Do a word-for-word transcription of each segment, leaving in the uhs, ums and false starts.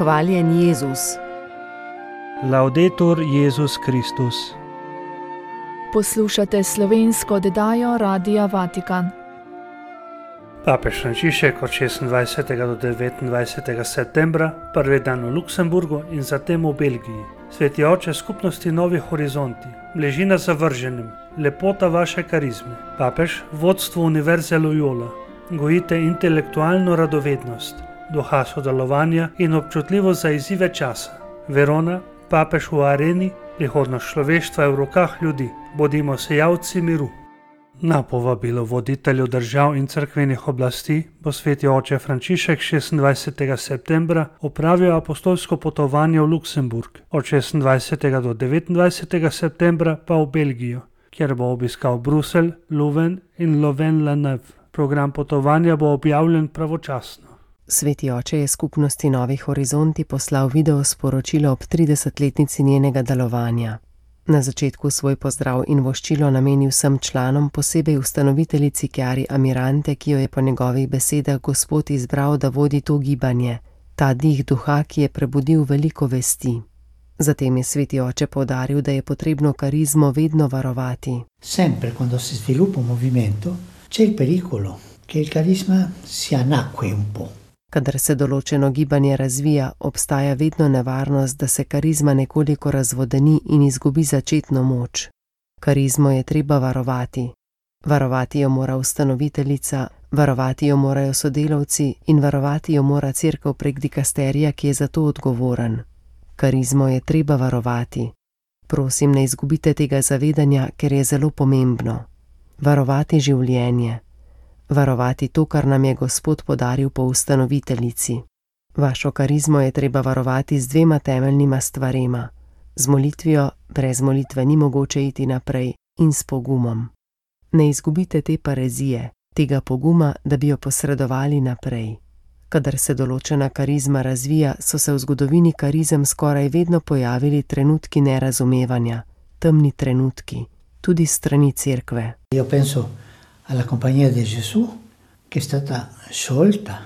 Hvaljen Jezus. Laudetur Jezus Kristus. Poslušate slovensko oddajo Radia Vatikan. Papež Frančišek od šestindvajsetega do devetindvajsetega septembra, prvi dan v Luksemburgu in zatem v Belgiji. Sveti oče skupnosti Novi horizonti, bližina zavrženim, lepota vaše karizme. Papež, vodstvo Univerze Loyola, gojite intelektualno radovednost, duha sodelovanja in občutljivost za izzive časa. Verona, papež v areni, prihodnost človeštva je v rokah ljudi, bodimo sejalci miru. Na povabilo voditeljev držav in cerkvenih oblasti bo sveti oče Frančišek šestindvajsetega septembra opravil apostolsko potovanje v Luksemburg, od šestindvajsetega do devetindvajsetega septembra pa v Belgijo, kjer bo obiskal Bruselj, Leuven in Louvain-la-Neuve. Program potovanja bo objavljen pravočasno. Sveti oče je skupnosti Novi horizonti poslal video sporočilo ob tridesetletnici njenega delovanja. Na začetku svoj pozdrav in voščilo nameni vsem članom, posebej ustanoviteljici Chiari Amirante, ki jo je po njegovih besedah Gospod izbral, da vodi to gibanje, ta dih duha, ki je prebudil veliko vesti. Zatem je sveti oče poudaril, da je potrebno karizmo vedno varovati. Sempre quando si sviluppa un movimento c'è il pericolo che il carisma si annacqui un po'. Kadar se določeno gibanje razvija, obstaja vedno nevarnost, da se karizma nekoliko razvodeni in izgubi začetno moč. Karizmo je treba varovati. Varovati jo mora ustanoviteljica, varovati jo morajo sodelavci in varovati jo mora cerkev prek dikasterija, ki je za to odgovoren. Karizmo je treba varovati. Prosim, ne izgubite tega zavedanja, ker je zelo pomembno. Varovati življenje. Varovati to, kar nam je Gospod podaril po ustanoviteljici. Vašo karizmo je treba varovati z dvema temeljnima stvarema. Z molitvijo, brez molitve ni mogoče iti naprej, in s pogumom. Ne izgubite te parezije, tega poguma, da bi jo posredovali naprej. Kadar se določena karizma razvija, so se v zgodovini karizem skoraj vedno pojavili trenutki nerazumevanja, temni trenutki, tudi strani cerkve. Io penso alla compagnia di Gesù, che è stata sciolta.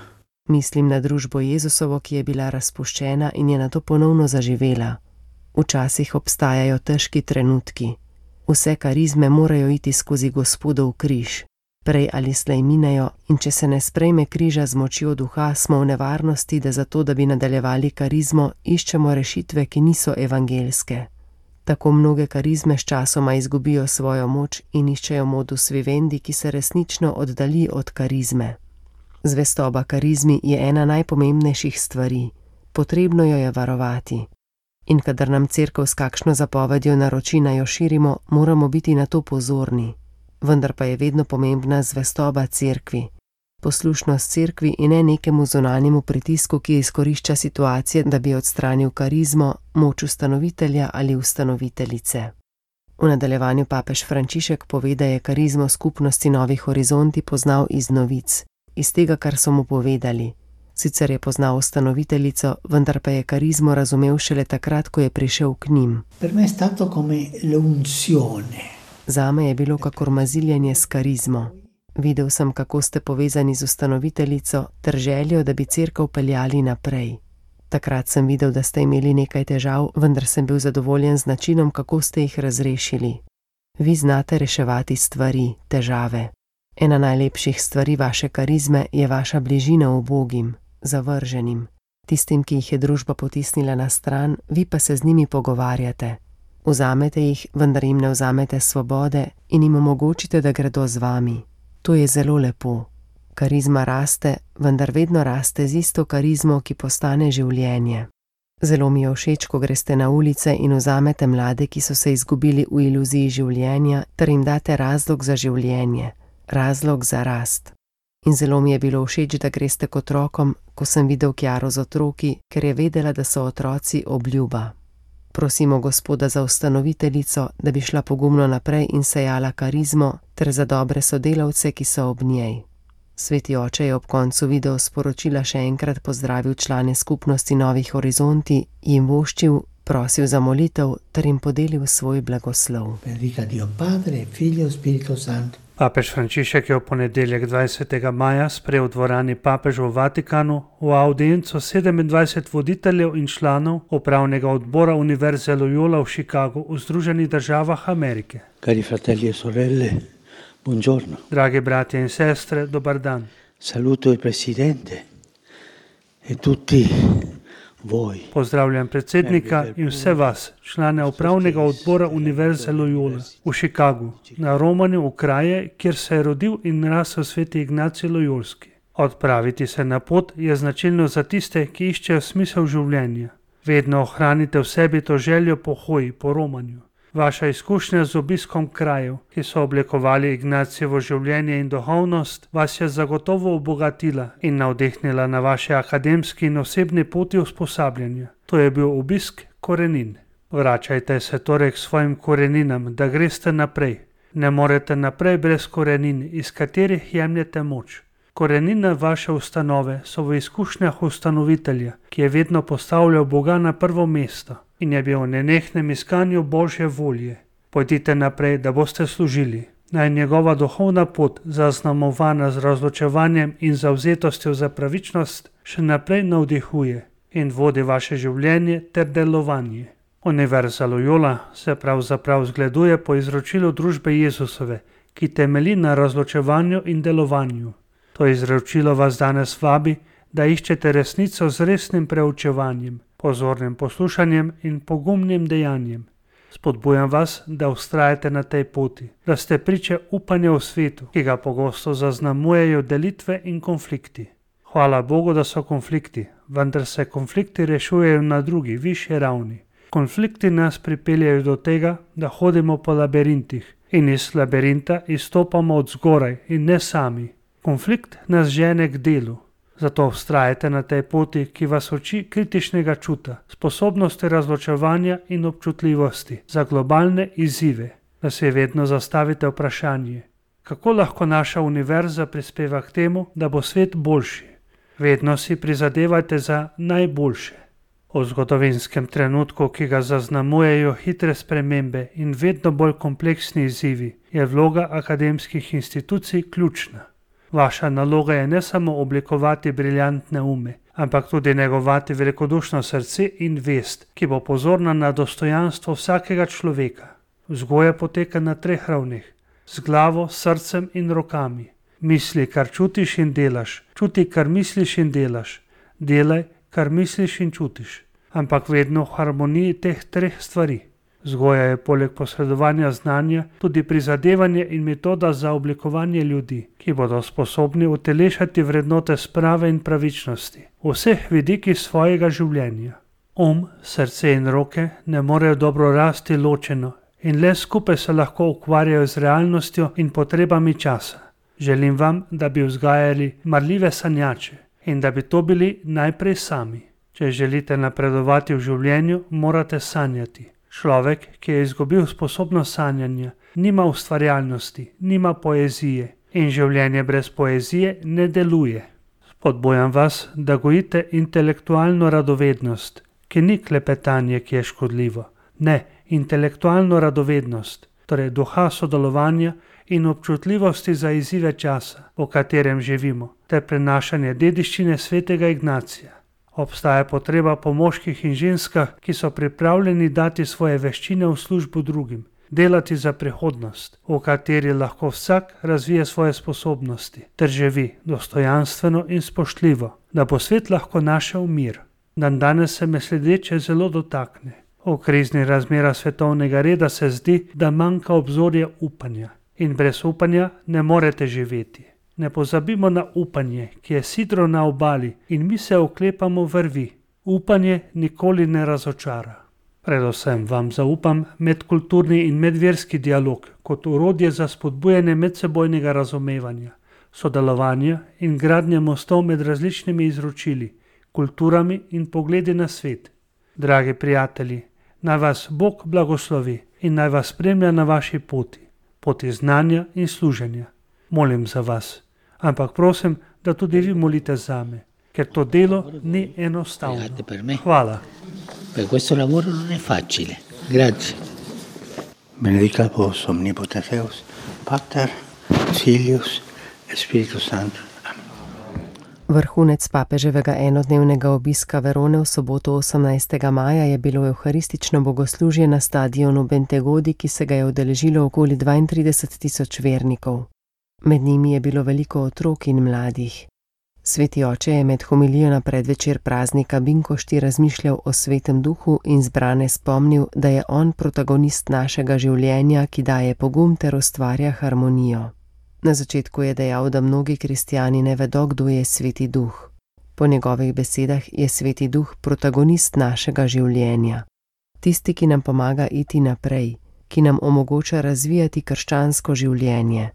Mislim na družbo Jezusovo, ki je bila razpuščena in je nato ponovno zaživela. Včasih obstajajo težki trenutki. Vse karizme morajo iti skozi Gospodov križ. Prej ali slej minejo, in če se ne sprejme križa z močjo duha, smo v nevarnosti, da zato, da bi nadaljevali karizmo, iščemo rešitve, ki niso evangelske. Tako mnoge karizme s časoma izgubijo svojo moč in iščejo modus vivendi, ki se resnično oddalji od karizme. Zvestoba karizmi je ena najpomembnejših stvari. Potrebno jo je varovati. In kadar nam cerkev s kakšno zapovedjo naroči, naj jo širimo, moramo biti na to pozorni. Vendar pa je vedno pomembna zvestoba cerkvi. Poslušnost cerkvi in ne nekemu zunanjemu pritisku, ki izkorišča situacije, da bi odstranil karizmo, moč ustanovitelja ali ustanoviteljice. V nadaljevanju papež Frančišek pove, da je karizmo skupnosti Novi horizonti poznal iz novic, iz tega, kar so mu povedali. Sicer je poznal ustanoviteljico, vendar pa je karizmo razumel šele takrat, ko je prišel k njim. Per me è stato come l'unzione. Zame je bilo kakor maziljenje s karizmo. Videl sem, kako ste povezani z ustanoviteljico ter željo, da bi cerkev peljali naprej. Takrat sem videl, da ste imeli nekaj težav, vendar sem bil zadovoljen z načinom, kako ste jih razrešili. Vi znate reševati stvari, težave. Ena najlepših stvari vaše karizme je vaša bližina ubogim, zavrženim. Tistim, ki jih je družba potisnila na stran, vi pa se z njimi pogovarjate. Vzamete jih, vendar jim ne vzamete svobode in jim omogočite, da gredo z vami. To je zelo lepo. Karizma raste, vendar vedno raste z isto karizmo, ki postane življenje. Zelo mi je všeč, ko greste na ulice in vzamete mlade, ki so se izgubili v iluziji življenja, ter jim date razlog za življenje, razlog za rast. In zelo mi je bilo všeč, da greste k otrokom, ko sem videl Chiaro z otroki, ker je vedela, da so otroci obljuba. Prosimo Gospoda za ustanoviteljico, da bi šla pogumno naprej in sejala karizmo, ter za dobre sodelavce, ki so ob njej. Sveti oče je ob koncu video sporočila še enkrat pozdravil člane skupnosti Novi horizonti, jim voščil, prosil za molitev ter jim podelil svoj blagoslov. Benedica Dio Padre, Figlio, Spirito Santo, Papež Frančišek je v ponedeljek dvajsetega maja sprejel v dvorani papeža v Vatikanu v audienco sedemindvajset voditeljev in članov upravnega odbora Univerze Loyola v Chicagu v Združenih državah Amerike. Cari fratelli e sorelle, buongiorno. Dragi bratje in sestre, dobar dan. Saluto il presidente e tutti voi. Pozdravljam predsednika in vse vas, člane upravnega odbora Univerze Loyola v Chicagu, na romanju v kraje, kjer se je rodil in rasel sveti Ignacij Loyolski. Odpraviti se na pot je značilno za tiste, ki iščejo smisel življenja. Vedno ohranite v sebi to željo po hoji, po romanju. Vaša izkušnja z obiskom krajev, ki so oblikovali Ignacijevo življenje in duhovnost, vas je zagotovo obogatila in navdihnila na vaše akademski in osebni poti usposabljanja. To je bil obisk korenin. Vračajte se torej k svojim koreninam, da greste naprej. Ne morete naprej brez korenin, iz katerih jemljete moč. Korenine vaše ustanove so v izkušnjah ustanovitelja, ki je vedno postavljal Boga na prvo mesto in je bil v nenehnem iskanju Božje volje. Pojdite naprej, da boste služili. Naj njegova duhovna pot, zaznamovana z razločevanjem in zavzetostjo za pravičnost, še naprej navdihuje in vodi vaše življenje ter delovanje. Univerza Loyola se pravzaprav zgleduje po izročilu družbe Jezusove, ki temelji na razločevanju in delovanju. To izročilo vas danes vabi, da iščete resnico z resnim preučevanjem, pozornim poslušanjem in pogumnim dejanjem. Spodbujam vas, da vztrajate na tej poti, da ste priče upanja v svetu, ki ga pogosto zaznamujejo delitve in konflikti. Hvala Bogu, da so konflikti, vendar se konflikti rešujejo na drugi, višji ravni. Konflikti nas pripeljajo do tega, da hodimo po labirintih in iz labirinta izstopamo od zgoraj in ne sami. Konflikt nas žene k delu, zato vztrajate na tej poti, ki vas uči kritičnega čuta, sposobnosti razločevanja in občutljivosti za globalne izzive, da se vedno zastavite vprašanje, kako lahko naša univerza prispeva k temu, da bo svet boljši. Vedno si prizadevajte za najboljše. V zgodovinskem trenutku, ki ga zaznamujejo hitre spremembe in vedno bolj kompleksni izzivi, je vloga akademskih institucij ključna. Vaša naloga je ne samo oblikovati briljantne ume, ampak tudi negovati velikodušno srce in vest, ki bo pozorna na dostojanstvo vsakega človeka. Vzgoja poteka na treh ravneh, z glavo, srcem in rokami. Misli, kar čutiš in delaš, čuti, kar misliš in delaš, delaj, kar misliš in čutiš, ampak vedno v harmoniji teh treh stvari. Vzgoja je poleg posredovanja znanja tudi prizadevanje in metoda za oblikovanje ljudi, ki bodo sposobni utelešati vrednote sprave in pravičnosti v vseh vidikih svojega življenja. Um, srce in roke ne morejo dobro rasti ločeno in le skupaj se lahko ukvarjajo z realnostjo in potrebami časa. Želim vam, da bi vzgajali marljive sanjače in da bi to bili najprej sami. Če želite napredovati v življenju, morate sanjati. Človek, ki je izgubil sposobnost sanjanja, nima ustvarjalnosti, nima poezije in življenje brez poezije ne deluje. Spodbujam vas, da gojite intelektualno radovednost, ki ni klepetanje, ki je škodljivo. Ne, intelektualno radovednost, torej duha sodelovanja in občutljivosti za izzive časa, v katerem živimo, ter prenašanje dediščine svetega Ignacija. Obstaja potreba po moških in ženskah, ki so pripravljeni dati svoje veščine v službo drugim, delati za prihodnost, v kateri lahko vsak razvije svoje sposobnosti, ter živi dostojanstveno in spoštljivo, da bo svet lahko našel mir. Dan danes se me sledeče zelo dotakne. V kriznih razmerah svetovnega reda se zdi, da manjka obzorje upanja in brez upanja ne morete živeti. Ne pozabimo na upanje, ki je sidro na obali in mi se oklepamo vrvi. Upanje nikoli ne razočara. Predvsem vam zaupam medkulturni in medverski dialog kot orodje za spodbujanje medsebojnega razumevanja, sodelovanja in gradnje mostov med različnimi izročili, kulturami in pogledi na svet. Dragi prijatelji, naj vas Bog blagoslovi in naj vas spremlja na vaši poti, poti znanja in služenja. Molim za vas. Ampak prosim, da tudi vi molite zame, ker to delo ni enostavno. Hvala. Per questo lavoro non è facile. Grazie. Benedicat vos omnipotens Deus, Pater Filius et Spiritus Sanctus. Vrhunec papeževega enodnevnega obiska Verone v soboto osemnajstega maja je bilo evharistično bogoslužje na stadionu Bentegodi, ki se ga je udeležilo okoli dvaintrideset tisoč vernikov. Med njimi je bilo veliko otrok in mladih. Sveti oče je med homilijo na predvečer praznika Binkošti razmišljal o svetem duhu in zbrane spomnil, da je on protagonist našega življenja, ki daje pogum ter ustvarja harmonijo. Na začetku je dejal, da mnogi kristjani ne vedo, kdo je sveti duh. Po njegovih besedah je sveti duh protagonist našega življenja. Tisti, ki nam pomaga iti naprej, ki nam omogoča razvijati krščansko življenje.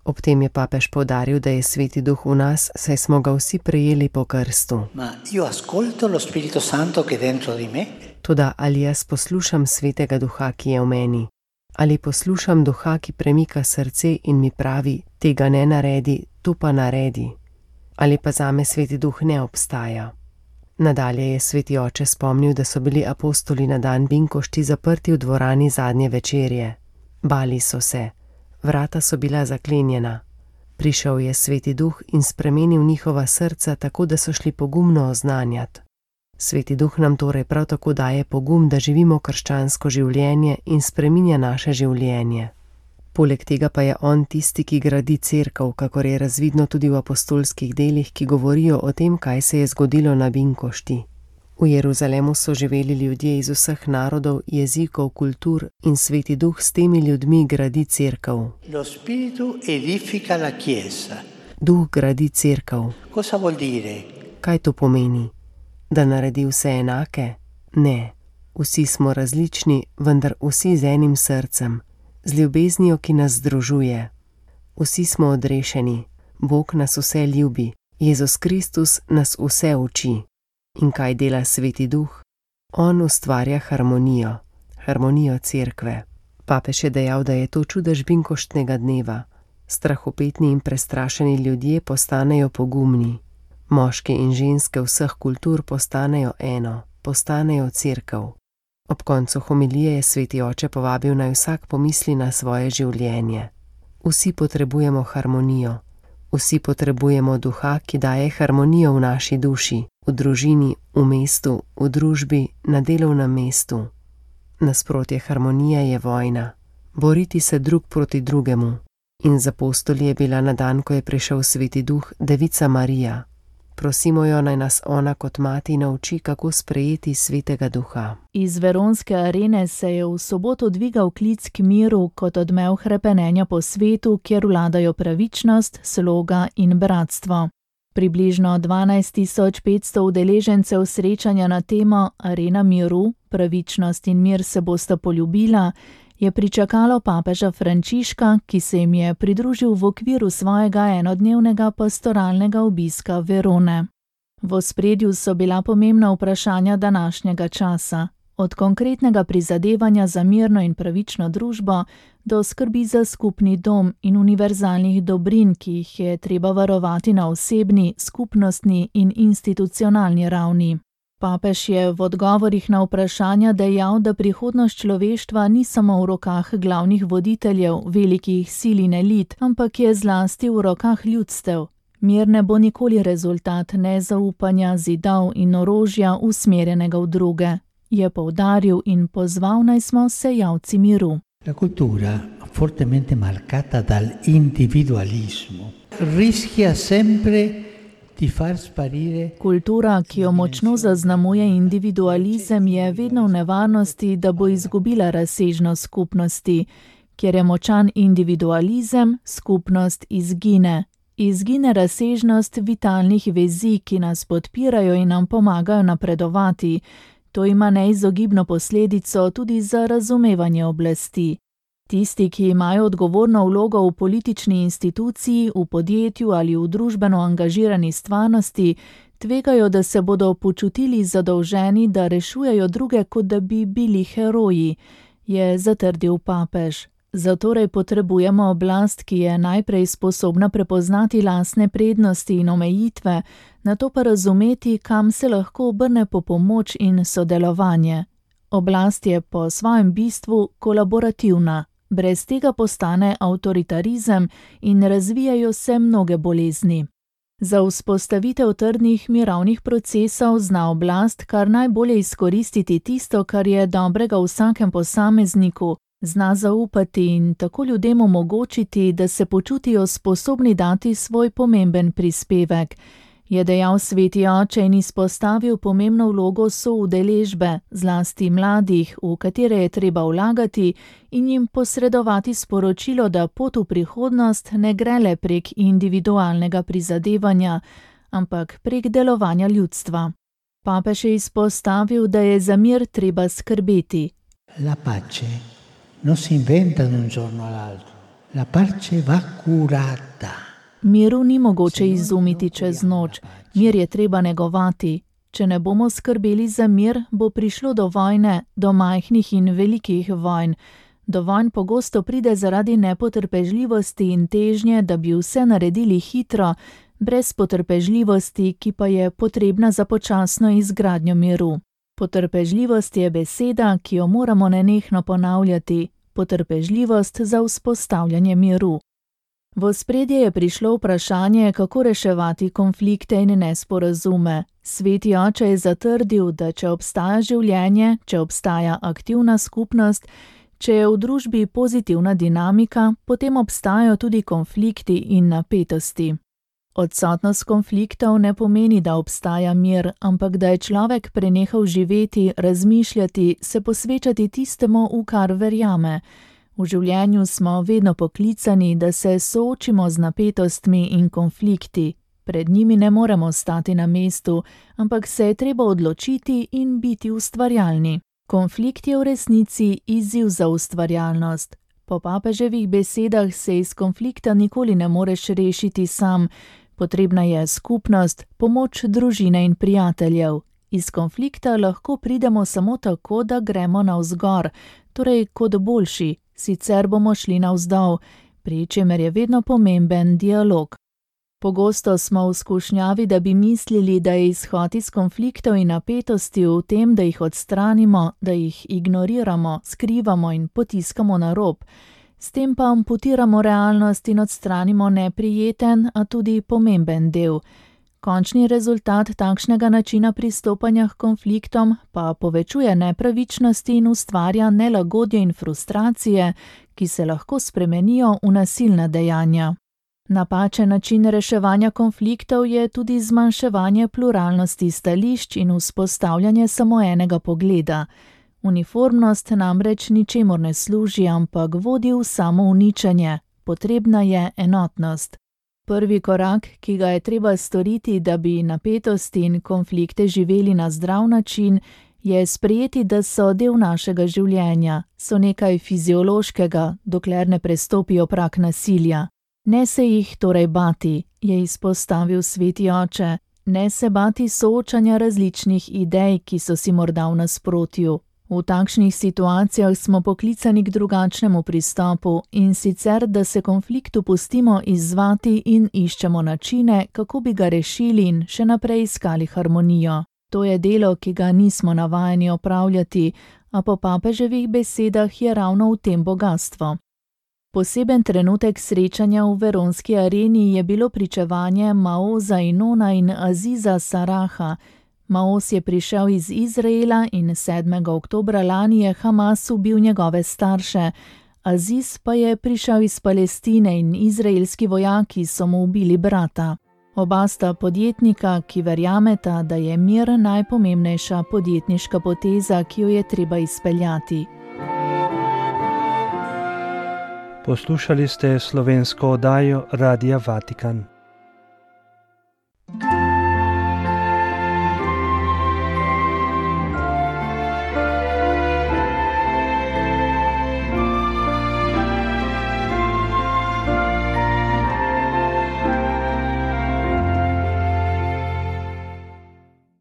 Ob tem je papež poudaril, da je sveti duh v nas, saj smo ga vsi prejeli po krstu. Ma io ascolto lo Spirito Santo che è dentro di me? Toda ali jaz poslušam svetega duha, ki je v meni? Ali poslušam duha, ki premika srce in mi pravi, tega ne naredi, to pa naredi? Ali pa zame sveti duh ne obstaja? Nadalje je sveti oče spomnil, da so bili apostoli na dan Binkošti zaprti v dvorani zadnje večerje. Bali so se, vrata so bila zaklenjena. Prišel je sveti duh in spremenil njihova srca tako, da so šli pogumno oznanjati. Sveti duh nam torej prav tako daje pogum, da živimo krščansko življenje in spreminja naše življenje. Poleg tega pa je on tisti, ki gradi cerkev, kakor je razvidno tudi v apostolskih delih, ki govorijo o tem, kaj se je zgodilo na Binkošti. V Jeruzalemu so živeli ljudje iz vseh narodov, jezikov, kultur in sveti duh s temi ljudmi gradi cerkev. Lo Spiritu edifica la Chiesa. Duh gradi cerkev. Cosa vuol dire? Kaj to pomeni? Da naredi vse enake? Ne. Vsi smo različni, vendar vsi z enim srcem, z ljubeznijo, ki nas združuje. Vsi smo odrešeni, Bog nas vse ljubi, Jezus Kristus nas vse uči. In kaj dela sveti duh? On ustvarja harmonijo, harmonijo cerkve. Papež je dejal, da je to čudež Binkoštnega dneva. Strahopetni in prestrašeni ljudje postanejo pogumni. Moški in ženske vseh kultur postanejo eno, postanejo cerkev. Ob koncu homilije je sveti oče povabil, naj vsak pomisli na svoje življenje. Vsi potrebujemo harmonijo. Vsi potrebujemo duha, ki daje harmonijo v naši duši, v družini, v mestu, v družbi, na delovnem mestu. Nasprotje harmonije je vojna. Boriti se drug proti drugemu. In z apostoli je bila na dan, ko je prišel sveti duh, Devica Marija. Prosimo jo, naj nas ona kot mati nauči, kako sprejeti svetega duha. Iz veronske arene se je v soboto dvigal klic k miru kot odmev hrepenenja po svetu, kjer vladajo pravičnost, sloga in bratstvo. Približno dvanajst tisoč petsto udeležencev srečanja na temo Arena miru, pravičnost in mir se bosta poljubila, je pričakalo papeža Frančiška, ki se jim je pridružil v okviru svojega enodnevnega pastoralnega obiska Verone. V ospredju so bila pomembna vprašanja današnjega časa, od konkretnega prizadevanja za mirno in pravično družbo do skrbi za skupni dom in univerzalnih dobrin, ki jih je treba varovati na osebni, skupnostni in institucionalni ravni. Papež je v odgovorih na vprašanja dejal, da prihodnost človeštva ni samo v rokah glavnih voditeljev, velikih sil in elit, ampak je zlasti v rokah ljudstev. Mir ne bo nikoli rezultat nezaupanja, zidov in orožja usmerjenega v druge, je poudaril in pozval, naj smo sejalci miru. La cultura, fortemente marcata dal individualismo, rischia sempre Kultura, ki jo močno zaznamuje individualizem, je vedno v nevarnosti, da bo izgubila razsežnost skupnosti. Kjer je močan individualizem, skupnost izgine. Izgine razsežnost vitalnih vezi, ki nas podpirajo in nam pomagajo napredovati. To ima neizogibno posledico tudi za razumevanje oblasti. Tisti, ki imajo odgovorno vlogo v politični instituciji, v podjetju ali v družbeno angažirani stvarnosti, tvegajo, da se bodo počutili zadolženi, da rešujejo druge, kot da bi bili heroji, je zatrdil papež. Zatorej potrebujemo oblast, ki je najprej sposobna prepoznati lastne prednosti in omejitve, nato pa razumeti, kam se lahko obrne po pomoč in sodelovanje. Oblast je po svojem bistvu kolaborativna. Brez tega postane avtoritarizem in razvijajo se mnoge bolezni. Za vzpostavitev trdnih mirovnih procesov zna oblast kar najbolje izkoristiti tisto, kar je dobrega v vsakem posamezniku, zna zaupati in tako ljudem omogočiti, da se počutijo sposobni dati svoj pomemben prispevek, je dejal sveti oče in izpostavil pomembno vlogo soudeležbe, zlasti mladih, v katere je treba vlagati in jim posredovati sporočilo, da pot v prihodnost ne gre le prek individualnega prizadevanja, ampak prek delovanja ljudstva. Papež je izpostavil, da je za mir treba skrbeti. La pace non si inventa da un giorno all'altro. La pace va curata. Miru ni mogoče izumiti čez noč, mir je treba negovati. Če ne bomo skrbeli za mir, bo prišlo do vojne, do majhnih in velikih vojn. Do vojn pogosto pride zaradi nepotrpežljivosti in težnje, da bi vse naredili hitro, brez potrpežljivosti, ki pa je potrebna za počasno izgradnjo miru. Potrpežljivost je beseda, ki jo moramo nenehno ponavljati. Potrpežljivost za vzpostavljanje miru. V ospredje je prišlo vprašanje, kako reševati konflikte in nesporazume. Sveti oče je zatrdil, da če obstaja življenje, če obstaja aktivna skupnost, če je v družbi pozitivna dinamika, potem obstajajo tudi konflikti in napetosti. Odsotnost konfliktov ne pomeni, da obstaja mir, ampak da je človek prenehal živeti, razmišljati, se posvečati tistemu, v kar verjame. V življenju smo vedno poklicani, da se soočimo z napetostmi in konflikti. Pred njimi ne moremo stati na mestu, ampak se je treba odločiti in biti ustvarjalni. Konflikt je v resnici izziv za ustvarjalnost. Po papeževih besedah se iz konflikta nikoli ne moreš rešiti sam. Potrebna je skupnost, pomoč družine in prijateljev. Iz konflikta lahko pridemo samo tako, da gremo navzgor, torej kot boljši, sicer bomo šli navzdol, pri čemer je vedno pomemben dialog. Pogosto smo v skušnjavi, da bi mislili, da je izhod iz konfliktov in napetosti v tem, da jih odstranimo, da jih ignoriramo, skrivamo in potiskamo na rob. S tem pa amputiramo realnost in odstranimo neprijeten, a tudi pomemben del. Končni rezultat takšnega načina pristopanja k konfliktom pa povečuje nepravičnosti in ustvarja nelagodje in frustracije, ki se lahko spremenijo v nasilna dejanja. Napačen način reševanja konfliktov je tudi zmanjševanje pluralnosti stališč in vzpostavljanje samo enega pogleda. Uniformnost namreč ničemur ne služi, ampak vodi v samo uničenje. Potrebna je enotnost. Prvi korak, ki ga je treba storiti, da bi napetosti in konflikte živeli na zdrav način, je sprejeti, da so del našega življenja, so nekaj fiziološkega, dokler ne prestopijo prag nasilja. Ne se jih torej bati, je izpostavil sveti oče, ne se bati soočanja različnih idej, ki so si morda v nasprotju. V takšnih situacijah smo poklicani k drugačnemu pristopu in sicer, da se konfliktu pustimo izzvati in iščemo načine, kako bi ga rešili in še naprej iskali harmonijo. To je delo, ki ga nismo navajeni opravljati, a po papeževih besedah je ravno v tem bogatstvo. Poseben trenutek srečanja v veronski areni je bilo pričevanje Maoza Inona in Aziza Saraha. Maoz je prišel iz Izraela in sedmega oktobra lani je Hamas ubil njegove starše. Aziz pa je prišel iz Palestine in izraelski vojaki so mu ubili brata. Oba sta podjetnika, ki verjameta, da je mir najpomembnejša podjetniška poteza, ki jo je treba izpeljati. Poslušali ste slovensko oddajo Radia Vatikan.